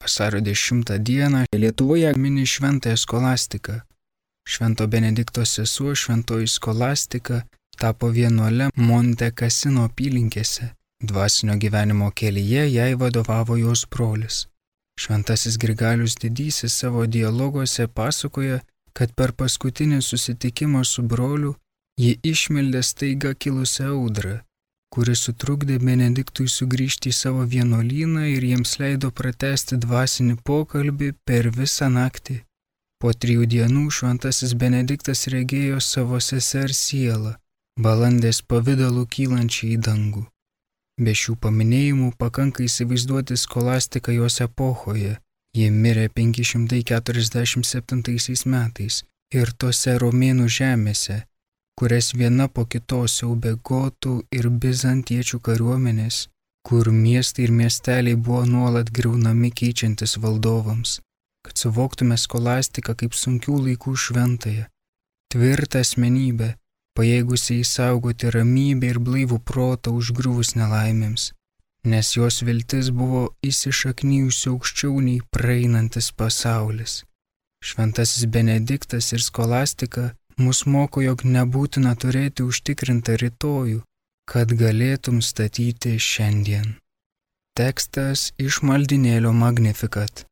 Vasario 10 dieną Lietuvoje mini šventąją skolastiką. Švento Benedikto sesuo šventoji skolastika tapo vienuole Monte Cassino apylinkėse. Dvasinio gyvenimo kelyje jai vadovavo jos brolis. Šventasis Grigalius Didysis savo dialoguose pasakoja, kad per paskutinį susitikimą su broliu ji išmeldė staiga kilusią audrą, kuri sutrukdė Benediktui sugrįžti į savo vienuolyną ir jiems leido pratęsti dvasinį pokalbį per visą naktį. Po 3 dienų šventasis Benediktas regėjo savo sesers sielą, balandės pavidalu kylančią į dangų. Be šių paminėjimų pakanka įsivaizduoti skolastiką jos epochoje. Ji mirė 547 metais ir tose Romėnų žemėse, kurias viena po kitos siaubė gotų ir bizantiečių kariuomenės, kur miestai ir miesteliai buvo nuolat griaunami keičiantis valdovams. Kad suvoktume skolastiką kaip sunkių laikų šventąją, tvirtą asmenybę, pajėgusią įsaugoti ramybę ir blaivų protą užgriuvus nelaimėms, nes jos viltis buvo įsišaknijusi aukščiau nei praeinantis pasaulis. Šventasis Benediktas ir skolastika mus moko, jog nebūtina turėti užtikrintą rytojų, kad galėtum statyti šiandien. Tekstas iš maldynėlio Magnificat.